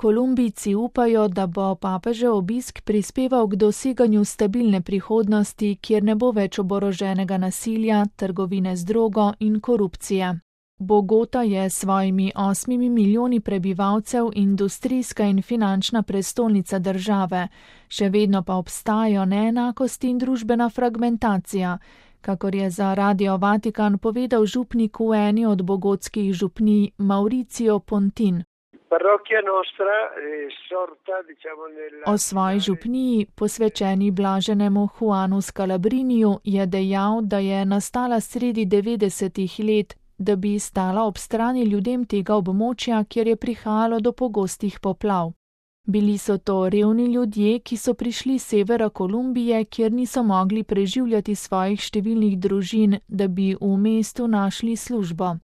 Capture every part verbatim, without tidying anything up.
Kolumbijci upajo, da bo papežev obisk prispeval k doseganju stabilne prihodnosti, kjer ne bo več oboroženega nasilja, trgovine z drogo in korupcije. Bogota je s svojimi osmimi milijoni prebivalcev industrijska in finančna prestolnica države, še vedno pa obstajajo neenakosti in družbena fragmentacija, kakor je za Radio Vatikan povedal župnik v eni od bogotskih župnij Mauricio Pontin. O svoji župniji, posvečeni blaženemu Juanu Scalabriniju, je dejal, da je nastala sredi devetdesetih let, da bi stala ob strani ljudem tega območja, kjer je prihajalo do pogostih poplav. Bili so to revni ljudje, ki so prišli s severa Kolumbije, kjer niso mogli preživljati svojih številnih družin, da bi v mestu našli službo.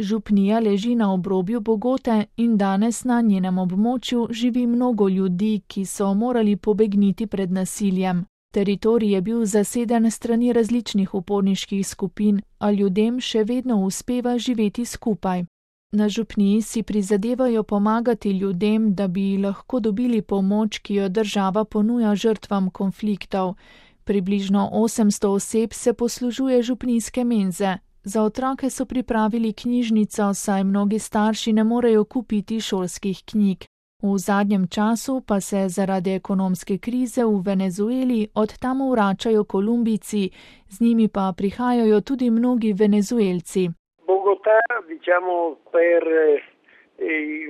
Župnija leži na obrobju Bogote in danes na njenem območju živi mnogo ljudi, ki so morali pobegniti pred nasiljem. Teritorij je bil zaseden strani različnih uporniških skupin, a ljudem še vedno uspeva živeti skupaj. Na župniji si prizadevajo pomagati ljudem, da bi lahko dobili pomoč, ki jo država ponuja žrtvam konfliktov. Približno osemsto oseb se poslužuje župnijske menze. Za otroke so pripravili knjižnico, saj mnogi starši ne morejo kupiti šolskih knjig. V zadnjem času pa se zaradi ekonomske krize v Venezueli od tam vračajo Kolumbijci, z njimi pa prihajajo tudi mnogi Venezuelci. Bogotà, diciamo, per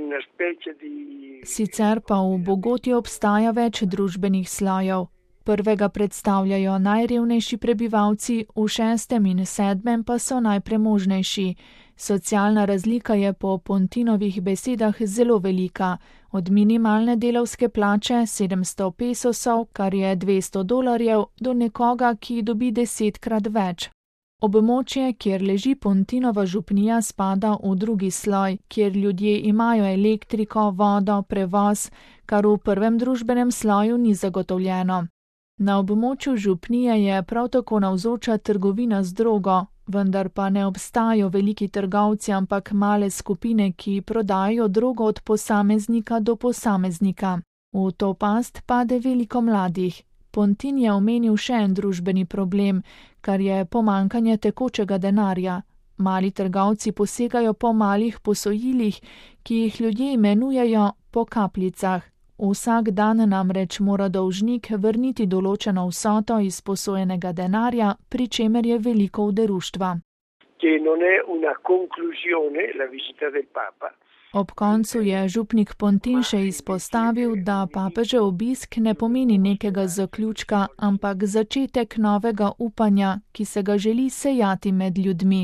una specie di... Sicer pa v Bogoti obstaja več družbenih slojev. Prvega predstavljajo najrevnejši prebivalci, v šestem in sedmem pa so najpremožnejši. Socialna razlika je po Pontinovih besedah zelo velika, od minimalne delavske plače sedemsto pesosov, kar je dvesto dolarjev, do nekoga, ki dobi desetkrat več. Območje, kjer leži Pontinova župnija, spada v drugi sloj, kjer ljudje imajo elektriko, vodo, prevoz, kar v prvem družbenem sloju ni zagotovljeno. Na območju župnije je prav tako navzoča trgovina z drogo, vendar pa ne obstajajo veliki trgovci, ampak male skupine, ki prodajo drogo od posameznika do posameznika. V to past pade veliko mladih. Pontin je omenil še en družbeni problem, kar je pomankanje tekočega denarja. Mali trgovci posegajo po malih posojilih, ki jih ljudje imenujejo po kapljicah. Vsak dan namreč mora dolžnik vrniti določeno vsoto iz posojenega denarja, pri čemer je veliko oderuštva. Ob koncu je župnik Pontin še izpostavil, da papežev obisk ne pomeni nekega zaključka, ampak začetek novega upanja, ki se ga želi sejati med ljudmi.